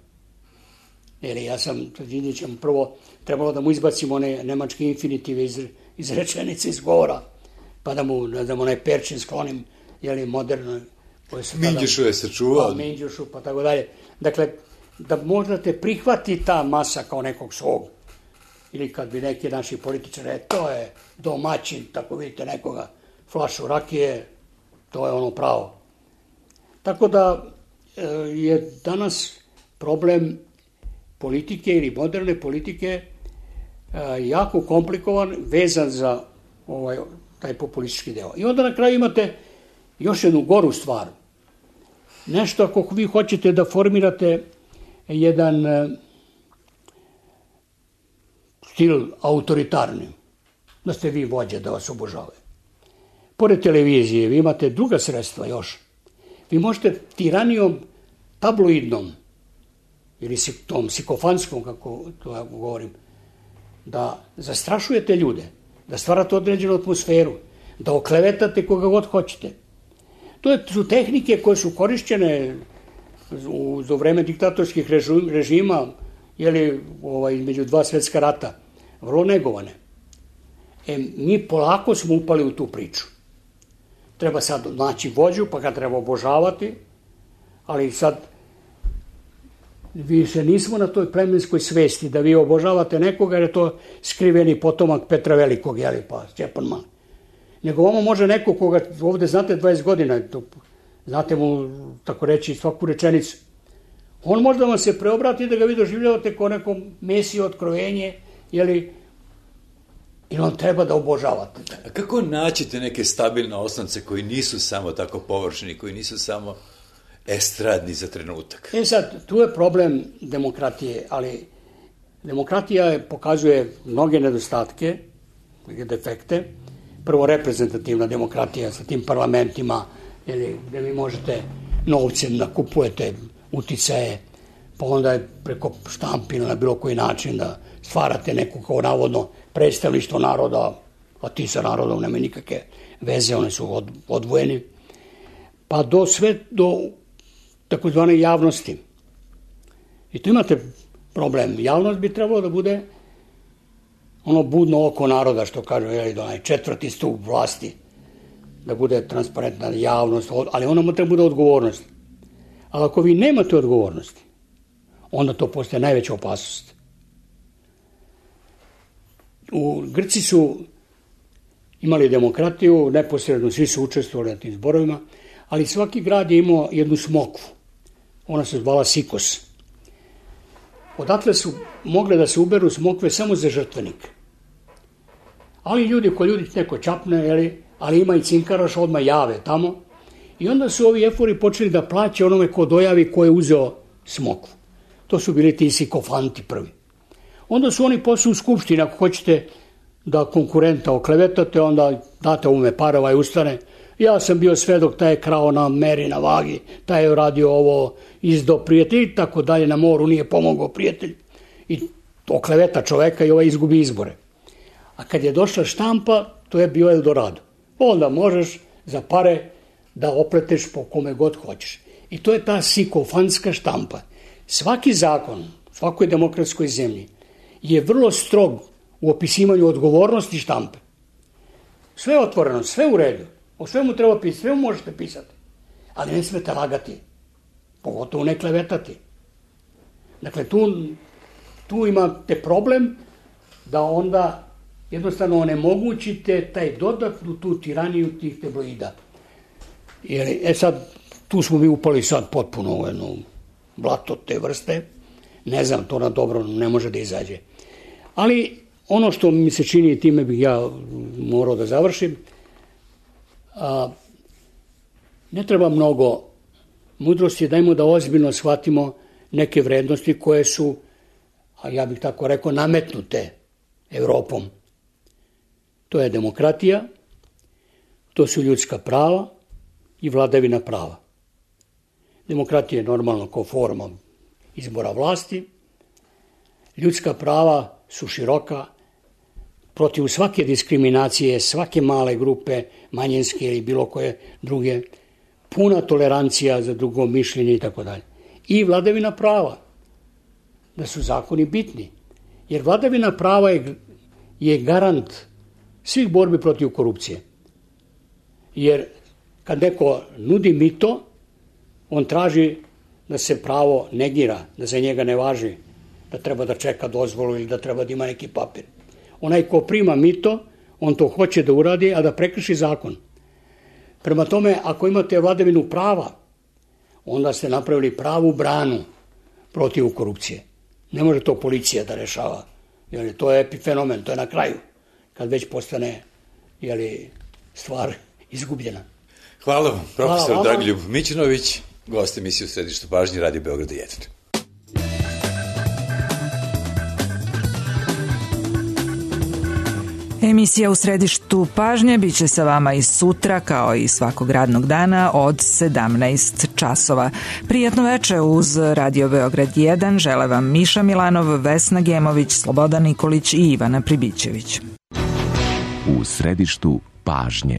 Jer ja sam sa Đinđićem prvo trebalo da mu izbacimo one nemačke infinitive iz rečenice, iz govora, pa da mu onaj perčin sklonim, moderno. Minđušu je sačuvao. Minđušu, pa tako dalje. Dakle, da možda te prihvati ta masa kao nekog svog. Ili kad bi neki naši političari, to je domaćin, tako vidite nekoga, flašu rakije, to je ono pravo. Tako da je danas problem politike ili moderne politike jako komplikovan, vezan za taj populistički deo. I onda na kraju imate još jednu goru stvar. Nešto ako vi hoćete da formirate jedan stil autoritarni, da ste vi vođe, da vas obožavaju. Pored televizije, vi imate druga sredstva još. Vi možete tiranijom tabloidnom, ili tom sikofanskom, kako to ja govorim, da zastrašujete ljude, da stvarate određenu atmosferu, da oklevetate koga god hoćete. To su tehnike koje su korišćene za vreme diktatorskih režima, između 2 svetska rata, vrlo negovane. Mi polako smo upali u tu priču. Treba sad naći vođu, pa ga treba obožavati, ali sad više nismo na toj plemenskoj svesti da vi obožavate nekoga jer je to skriveni potomak Petra Velikog, pa Stjepan Mali. Nego ovo može neko koga ovde znate 20 godina, znate mu, tako reći, svaku rečenicu. On možda vam se preobrati da ga vi doživljavate kao neko mesiju, otkrovenje, ili on treba da obožavate. A kako naćite neke stabilne osnovce koji nisu samo tako površni, koji nisu samo estradni za trenutak? Sad, tu je problem demokratije, ali demokratija pokazuje mnoge nedostatke, defekte. Prvo, reprezentativna demokratija sa tim parlamentima, gde vi možete novcem nakupujete uticaje, pa onda je preko štampina na bilo koji način da stvarate neko kao navodno predstavništvo naroda, a ti sa narodom nemaju nikakve veze, one su odvojeni, pa sve do takozvane javnosti. I tu imate problem. Javnost bi trebalo da bude ono budno oko naroda, što kažu, onaj 4. stup vlasti, da bude transparentna javnost, ali ono treba bude odgovornost. Ali ako vi nemate odgovornosti, onda to postaje najveća opasnost. Grci su imali demokratiju, neposredno svi su učestvovali na tim zborovima, ali svaki grad je imao jednu smokvu. Ona se zvala Sikos. Odatle su mogle da se uberu smokve samo za žrtvenik. Ali ljudi neko čapne, ali ima i cinkaraš, odmah jave tamo. I onda su ovi efori počeli da plaće onome ko dojavi ko je uzeo smokvu. To su bili ti sikofanti prvi. Onda su oni posle u skupštini, ako hoćete da konkurenta oklevetate, onda date ovome para, ovaj ustane. Ja sam bio svedok, taj je krao na meri, na vagi, taj je radio ovo, izdao prijatelj i tako dalje, na moru nije pomogao prijatelj. I okleveta čoveka i ovaj izgubi izbore. A kad je došla štampa, to je bio Eldorado. Onda možeš za pare da opleteš po kome god hoćeš. I to je ta sikofanska štampa. Svaki zakon, svakoj demokratskoj zemlji je vrlo strog u opisivanju odgovornosti štampe. Sve je otvoreno, sve u redu. O svemu treba pisati, sve možete pisati. Ali ne smete lagati. Pogotovo ne klevetati. Dakle, tu imate problem da onda jednostavno onemogućite taj dodatnu tu tiraniju tih tabloida. Sad, tu smo mi upali sad potpuno u jedno blato te vrste. Ne znam, to na dobro ne može da izađe. Ali ono što mi se čini, time bih ja morao da završim, ne treba mnogo mudrosti, dajmo da ozbiljno shvatimo neke vrednosti koje su, a ja bih tako rekao, nametnute Evropom. To je demokratija, to su ljudska prava i vladavina prava. Demokratija je normalno kao forma izbora vlasti. Ljudska prava su široka, protiv svake diskriminacije, svake male grupe, manjinske ili bilo koje druge, puna tolerancija za drugo mišljenje i tako dalje. I vladavina prava, da su zakoni bitni. Jer vladavina prava je garant svih borbi protiv korupcije. Jer kad neko nudi mito, on traži da se pravo negira, da za njega ne važi, da treba da čeka dozvolu ili da treba da ima neki papir. Onaj ko prima mito, on to hoće da uradi, a da prekrši zakon. Prema tome, ako imate vladavinu prava, onda ste napravili pravu branu protiv korupcije. Ne može to policija da rešava. To je epifenomen, to je na kraju, kad već postane stvar izgubljena. Hvala vam, profesor Dragoljub Mićunović, gost emisije u Središtu pažnje Radio Beograda 1. Emisija u Središtu pažnje biće sa vama i sutra, kao i svakog radnog dana od 17 časova. Prijatno veče uz Radio Beograd 1 žele vam Miša Milanov, Vesna Gemović, Slobodan Nikolić i Ivana Pribićević. U Središtu pažnje.